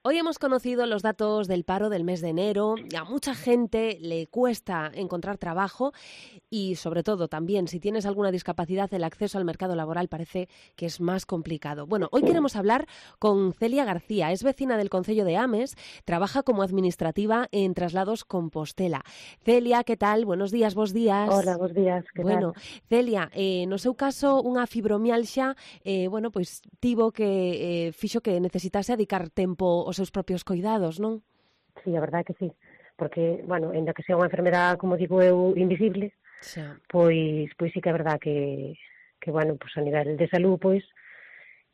Hoy hemos conocido los datos del paro del mes de enero. A mucha gente le cuesta encontrar trabajo y, sobre todo, también si tienes alguna discapacidad, el acceso al mercado laboral parece que es más complicado. Bueno, hoy queremos hablar con Celia García. Es vecina del concello de Ames, trabaja como administrativa en Traslados Compostela. Celia, ¿qué tal? Buenos días, bos días. Hola, bos días, que Bueno, tal? Celia, no seu caso, unha fibromialxa, pois tivo que fixo que necesitase dedicar tempo aos seus propios coidados, non? Sí, a verdade que sí, porque, bueno, ainda que sea unha enfermedade, como digo eu, invisible, Xa. pois sí que é verdade que bueno, pois a nivel de salud, pois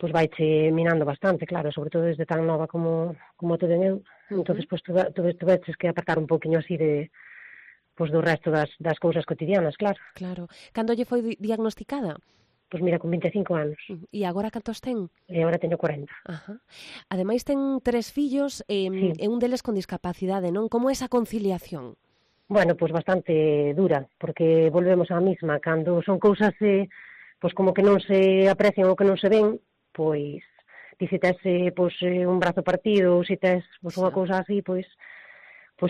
vaiche minando bastante, claro, sobre todo desde tan nova como te den eu. Entonces, pois tuveches que apartar un poquinho así pois do resto das cousas cotidianas, claro. Claro. Cando lle foi diagnosticada? Pois mira, con 25 anos, E agora cantos ten? e agora teño 40. Ajá. Ademais ten 3 fillos Sí. e un deles con discapacidade, non? Como é esa conciliación? Bueno, pois bastante dura, porque volvemos á mesma, cando son cousas pois como que non se aprecian ou que non se ven, pois ti se tes un brazo partido ou se tes unha Xa. cousa así, pois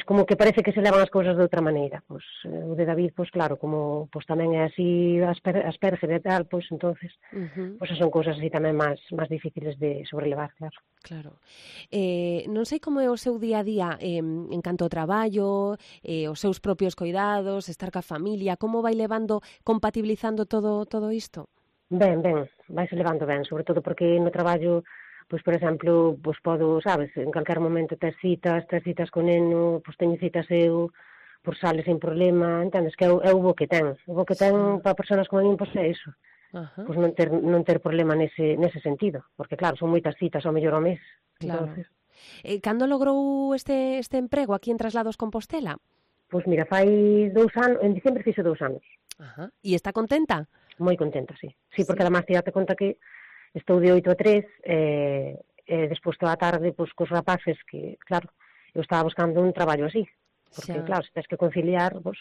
como que parece que se levan as cousas de outra maneira. Pois o de David, pois claro, como pois tamén é así Asperger e tal, pois entonces pois son cousas así tamén máis difíciles de sobrelevar, claro. Claro. Non sei como é o seu día a día en canto ao traballo, os seus propios coidados, estar ca familia, como vai levando, compatibilizando todo isto? Ben, vaise levando ben, sobre todo porque no traballo, pois, por exemplo, pois podo, sabes, en calquer momento tes citas co neno, pois teño citas eu, por sales sin problema, entendes, que é o bo que ten. O bo que ten para persoas como a min, pois é iso. Ajá. Pois non ter problema nese sentido, porque claro, son moitas citas ao mellor ao mes. Claro. Entonces, Cando logrou este emprego aquí en Traslados Compostela? pois mira, fai 2 anos, en diciembre fixe 2 anos. Ajá. E está contenta? Moi contenta, sí. Sí, Sí. porque además te conta que estou de 8 a 3, despois toda a tarde, pois, cos rapaces, que, claro, eu estaba buscando un traballo así, porque, Xa. claro, se tens que conciliar, pois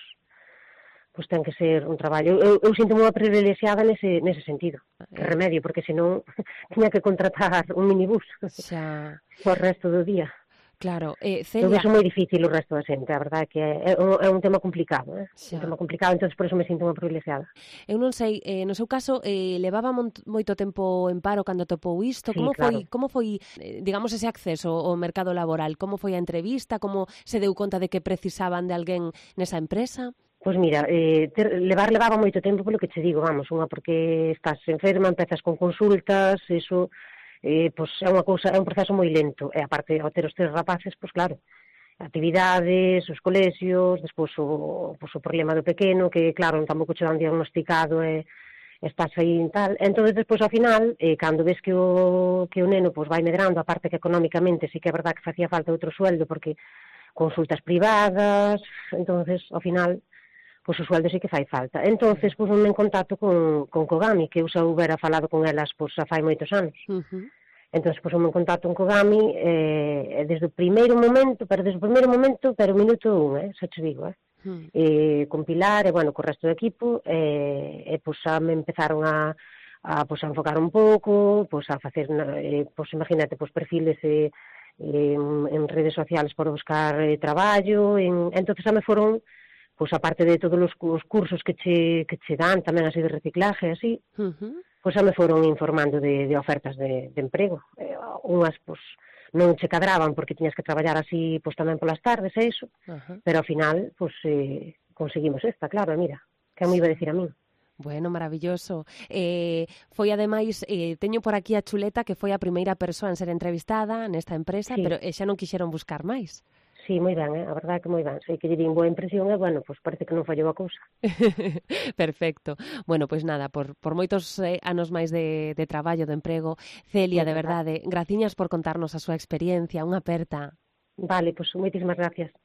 ten que ser un traballo. Eu sinto unha privilexiada nese sentido, que remedio, porque senón tiña que contratar un minibús Xa. por resto do día. Claro. Eu Celia, vexo moi difícil o resto da xente, a verdade é que é un tema complicado, Xa. un tema complicado, entón por eso me sinto unha privilexiada. eu non sei, no seu caso, levaba moito tempo en paro cando topou isto? Sí, Como foi, digamos, ese acceso ao mercado laboral? Como foi a entrevista? Como se deu conta de que precisaban de alguén nesa empresa? Pois mira, levaba moito tempo polo que che digo, vamos, unha porque estás enferma, empezas con consultas, eso, pois é unha cousa, é un proceso moi lento, e aparte ao ter os 3 rapaces, pois claro, actividades, os colexios, despois o problema do pequeno, que claro, tampouco che dan diagnosticado e estás aí en tal, entón despois ao final, cando ves que o neno pois vai medrando, aparte que económicamente sí que é verdad que facía falta outro sueldo, porque consultas privadas, entonces ao final pois o sueldo sí que fai falta. Entonces, pois me en contacto con Kogami, que eu xa houbera falado con elas pois xa fai moitos anos. Entonces, pois me en contacto con Kogami desde o primeiro momento, pero minuto 1, xa te digo, con Pilar e, bueno, co resto do equipo, pois xa me empezaron a enfocar un pouco, pois a facer, pois imagínate, pois perfiles en redes sociales para buscar traballo, entonces xa me foron, pois aparte de todos os cursos que che dan, tamén así de reciclaje, así, pois xa me foron informando de ofertas de emprego. Unhas, pois, non che cadraban porque tiñas que traballar así, pois tamén polas tardes e iso, pero ao final, pois, conseguimos esta, claro, mira, que me iba a decir a min. Bueno, maravilloso. Foi ademais, teño por aquí a chuleta que foi a primeira persoa en ser entrevistada nesta empresa, Sí. pero xa non quixeron buscar máis. Sí, moi ben, a verdade que moi ben. Sei que lle din boa impresión e, bueno, pois parece que non fallou a cousa. Perfecto. Bueno, pois nada, por moitos anos máis de traballo, de emprego, Celia, de verdade, graciñas por contarnos a súa experiencia, unha aperta. Vale, pois moitísimas gracias.